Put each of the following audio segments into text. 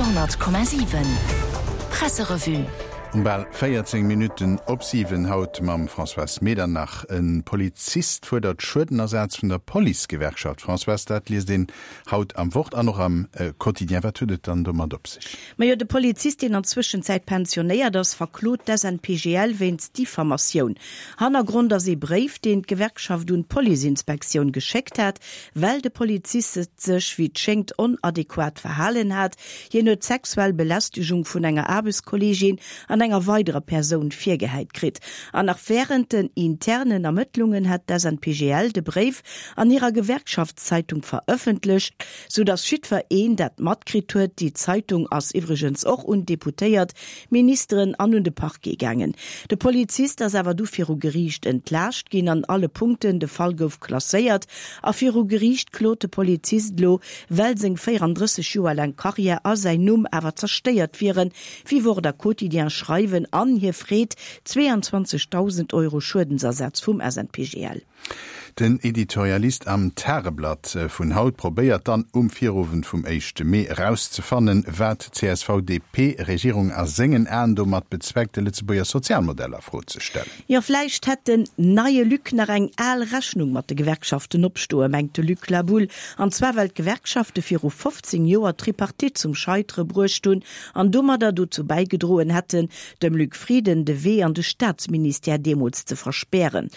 Radio,7 Presserevue. Um bal 14 Minutten op 7 haut mam Françoise Medernach. E Polizist fuerdert Schuedenersaz vun der Policegewerkschaft. Françoise, dat liest een haut am Wort an och am Quotidien. Wat huet et dann domat op sech? Majo, de Polizist, deen an Zwëschenzäit pensionéiert ass, verklot d'SNPGL wéinst Diffamatioun. Hannergrond ass ee Bréif, deen d'Gewerkschaft un d'Policeinspektioun geschéckt hat, well de Polizist sech, wéi et schéngt, onadequat verhalen hat. Hien huet sexuell Belästegung vun enger Aarbechtskolleegin an enger weiderer Persoun virgehäit kritt. An nach wärend den internen Ermëttlungen hat d'SNPGL de Bréif an hirer Gewerkschaftszeitung verëffentlecht, sou datt jiddwer een dat matkritt huet. Déi Zeitung ass iwwregens och un d'Deputéiert, Ministeren an un de Parquet gaangen. De Polizist ass awer du viru Geriicht entlaascht ginn an alle Punkten. De Fall gouf klasséiert a viru Geriicht klot de Polizist elo, well seng 34 Joer laang Karriär a säin Numm awer zerstéiert wieren, wéi Wort a Quotidien schreiwen, an hie freet 22.000 Euro Schuedensersatz vum SNPGL. Den Editorialist am Tageblatt vun haut probéiert dann um Virowend vum éischte Mee erauszefannen, wat d'CSV-DP-Regierung a sengen Aen domat bezweckt, de Lëtzebuerger Sozialmodell a Fro ze stellen. Jo, vläicht hätt den neie Luc nach eng al Rechnung mat de Gewerkschaften opstoen, mengt de Luc Laboulle. An zwar well d'Gewerkschafte viru 15 Joer d'Tripartite zum Scheitere bruecht hunn an domadder dozou bäigedroen hätten, dem Luc Frieden de Wee an de Staatsministère deemools ze verspären.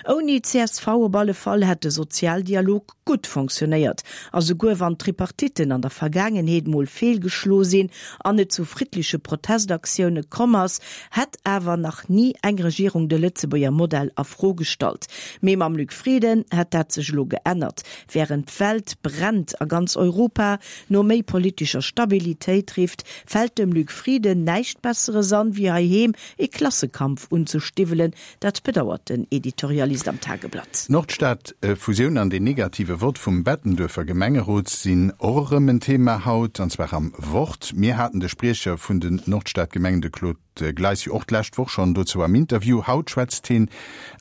Ouni csv op alle Fall hätt de Sozialdialog gutt fonctionnéiert. A souguer wann d'Tripartitten an der Vergaangenheet mol feelgeschlo sinn an et zu friddleche Protestaktioune komm ass, hätt awer nach ni eng Regierung de Lëtzebuerger Modell a Fro gestallt. Mee mam Luc Frieden hätt dat sech elo geännert. Wärend d'Welt brennt a ganz Europa no méi politescher Stabilitéit rifft, fält dem Luc Frieden näischt Besseres an, wéi heiheem ee Klassekampf unzestiwwelen. Dat bedauert den Editorialist am Tageblatt. D'Nordstad-Fusioun an deen negative Vott vum Bettenduerfer Gemengerot sinn och erëm en Thema haut, an zwar am Wort. Mir haten de Spriecher vun den Nordstad-Gemengen, de Claude Gleis, jo och d'lescht Woch schonn dozou am Interview. Haut schwätzt hien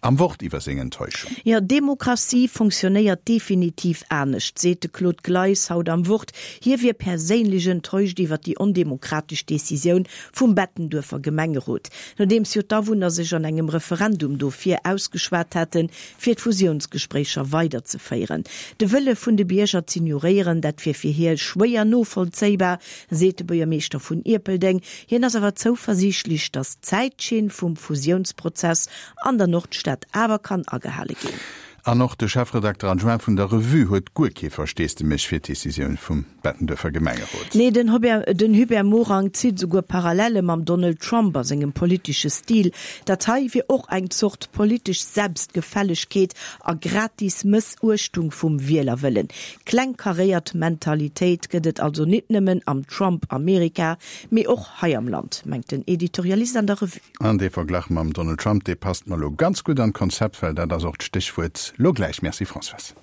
am Wort iwwer seng Enttäuschung. Jo, Demokratie fonctionnéiert definitiv anescht, seet de Claude Gleis haut am Wort. Hie wier perséinlech enttäuscht iwwer déi ondemokratesch Decisioun vum Bettenduerfer Gemengerot. Nodeems jo d'Awunner sech an engem Referendum dofir ausgeschwat haten, fir d'Fusiounsgespréicher weiderzeféieren. De Wëlle vun de Bierger z'ignoréieren, dat wier fir hie schwéier novollzéibar, seet de Buergermeeschter vun Ierpeldeng. Hien ass awer zouversiichtlech, datt d'Zäitschinn vum Fusiounsprozess an der Nordstad awer kann agehale ginn. An och de Chefredakter adjoint vun der Revue huet guer kee Versteesdemech fir d'Decisioun vum Bettenduerfer Gemengerot. Nee, den Hubert Morang zitt esouguer Parallele mam Donald Trump a sengem politesche Stil. Dat hei wier och eng Zort politesch Selbstgefällegkeet a gratis Mëssuechtung vum Wielerwëllen. Klengkaréiert Mentalitéit gëtt et also nit nëmmen am Trump-Amerika, mee och hei am Land, mengt den Editorialist an der Revue. An dee Verglach mam Donald Trump, dee passt mer lo ganz gutt an d'Konzept, well dat ass och d'Stéchwuert lo gläich. Merci Françoise.